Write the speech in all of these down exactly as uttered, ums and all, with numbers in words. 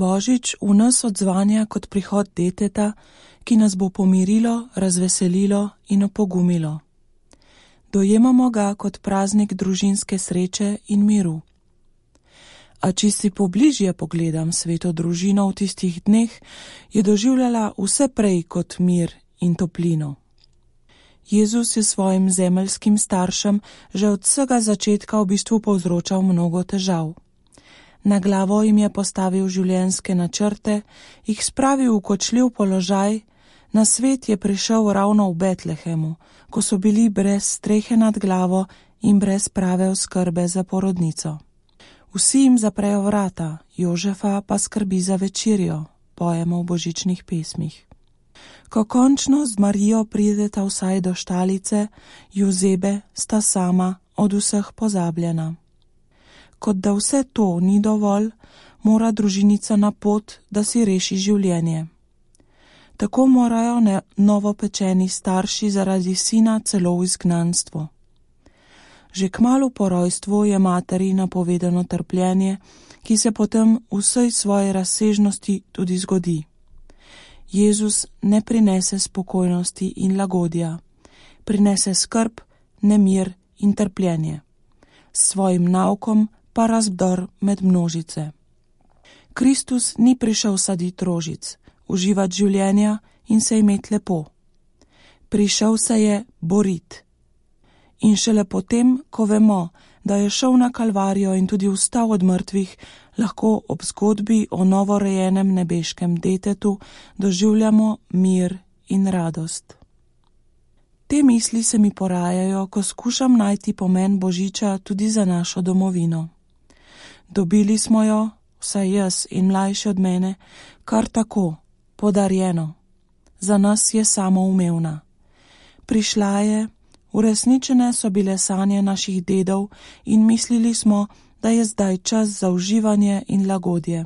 Božič v nas odzvanja kot prihod deteta, ki nas bo pomirilo, razveselilo in opogumilo. Dojemamo ga kot praznik družinske sreče in miru. A če si pobližje pogledam sveto družino v tistih dneh, je doživljala vse prej kot mir in toplino. Jezus je svojim zemeljskim staršem že od vsega začetka v bistvu povzročal mnogo težav. Na glavo jim je postavil življenjske načrte, jih spravil v kočljiv položaj, na svet je prišel ravno v Betlehemu, ko so bili brez strehe nad glavo in brez prave oskrbe za porodnico. Vsi jim zaprejo vrata, Jožefa pa skrbi za večerjo, pojemo v božičnih pesmih. Ko končno z Marijo prideta vsaj do štalice, Jozebe sta sama od vseh pozabljena. Kot da vse to ni dovolj, mora družinica na pot, da si reši življenje. Tako morajo ne novopečeni starši zaradi sina celo v izgnanstvo. Že kmalu po rojstvu je materi napovedano trpljenje, ki se potem v vsej svoji razsežnosti tudi zgodi. Jezus ne prinese spokojnosti in lagodja, prinese skrb, nemir in trpljenje. S svojim naukom pa razdor med množice. Kristus ni prišel saditi rožic, uživati življenja in se imeti lepo. Prišel se je boriti. In šele potem, ko vemo, da je šel na Kalvarijo in tudi vstal od mrtvih, lahko ob zgodbi o novorojenem nebeškem detetu doživljamo mir in radost. Te misli se mi porajajo, ko skušam najti pomen Božiča tudi za našo domovino. Dobili smo jo, vsaj jaz in mlajši od mene, kar tako, podarjeno. Za nas je samoumevna. Prišla je, uresničene so bile sanje naših dedov in mislili smo, da je zdaj čas za uživanje in lagodje.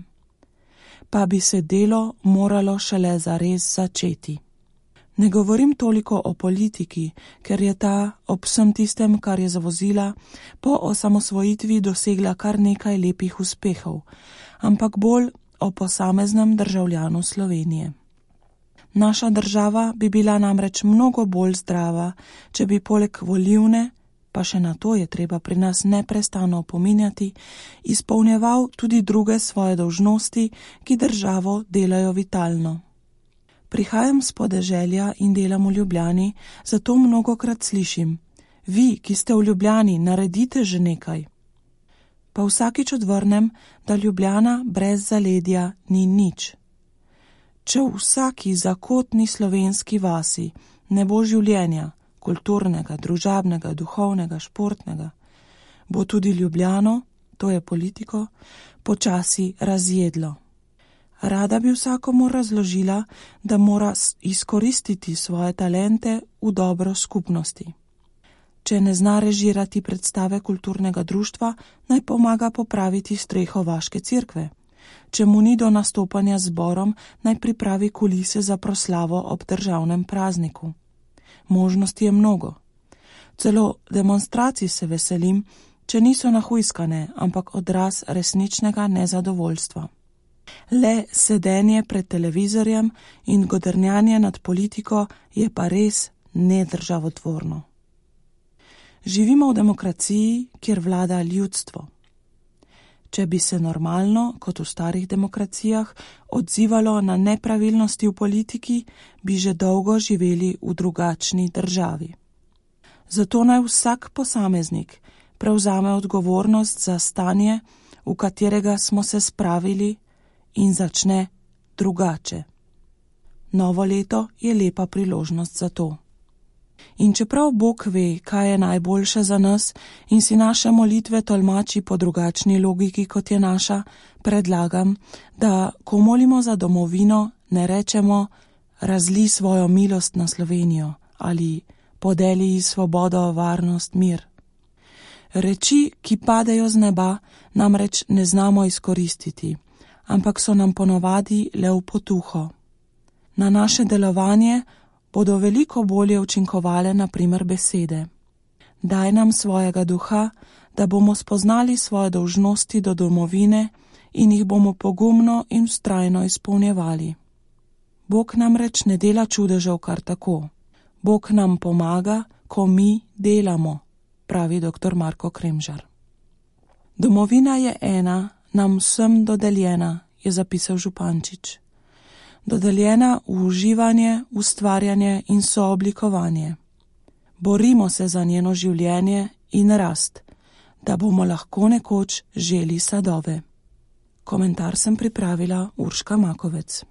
Pa bi se delo moralo šele zares začeti. Ne govorim toliko o politiki, ker je ta ob vsem tistem, kar je zavozila, po osamosvojitvi dosegla kar nekaj lepih uspehov, ampak bolj o posameznem državljanu Slovenije. Naša država bi bila namreč mnogo bolj zdrava, če bi poleg volilne, pa še na to je treba pri nas neprestano opominjati, izpolnjeval tudi druge svoje dolžnosti, ki državo delajo vitalno. Prihajam s podeželja in delam v Ljubljani, zato mnogokrat slišim: vi, ki ste v Ljubljani, naredite že nekaj. Pa vsakič odvrnem, da Ljubljana brez zaledja ni nič. Če v vsaki zakotni slovenski vasi ne bo življenja, kulturnega, družabnega, duhovnega, športnega, bo tudi Ljubljano, to je politiko, počasi razjedlo. Rada bi vsakomur razložila, da mora izkoristiti svoje talente v dobro skupnosti. Če ne zna režirati predstave kulturnega društva, naj pomaga popraviti streho vaške cerkve. Če mu ni do nastopanja z zborom, naj pripravi kulise za proslavo ob državnem prazniku. Možnosti je mnogo. Celo demonstracij se veselim, če niso nahujskane, ampak odraz resničnega nezadovoljstva. Le sedenje pred televizorjem in godrnjanje nad politiko je pa res nedržavotvorno. Živimo v demokraciji, kjer vlada ljudstvo. Če bi se normalno, kot v starih demokracijah, odzivalo na nepravilnosti v politiki, bi že dolgo živeli v drugačni državi. Zato naj vsak posameznik prevzame odgovornost za stanje, v katerega smo se spravili, in začne drugače. Novo leto je lepa priložnost za to. In čeprav Bog ve, kaj je najboljše za nas in si naše molitve tolmači po drugačni logiki, kot je naša, predlagam, da ko molimo za domovino, ne rečemo razli svojo milost na Slovenijo ali podeli ji svobodo, varnost, mir. Reči, ki padejo z neba, namreč ne znamo izkoristiti, ampak so nam ponovadi le v potuho. Na naše delovanje bodo veliko bolje učinkovale na primer besede. Daj nam svojega duha, da bomo spoznali svoje dolžnosti do domovine in jih bomo pogumno in vztrajno izpolnjevali. Bog namreč ne dela čudežev kar tako. Bog nam pomaga, ko mi delamo, pravi doktor Marko Kremžar. Domovina je ena, nam vsem dodeljena, je zapisal Župančič. Dodeljena v uživanje, ustvarjanje in sooblikovanje. Borimo se za njeno življenje in rast, da bomo lahko nekoč želi sadove. Komentar sem pripravila Urška Makovec.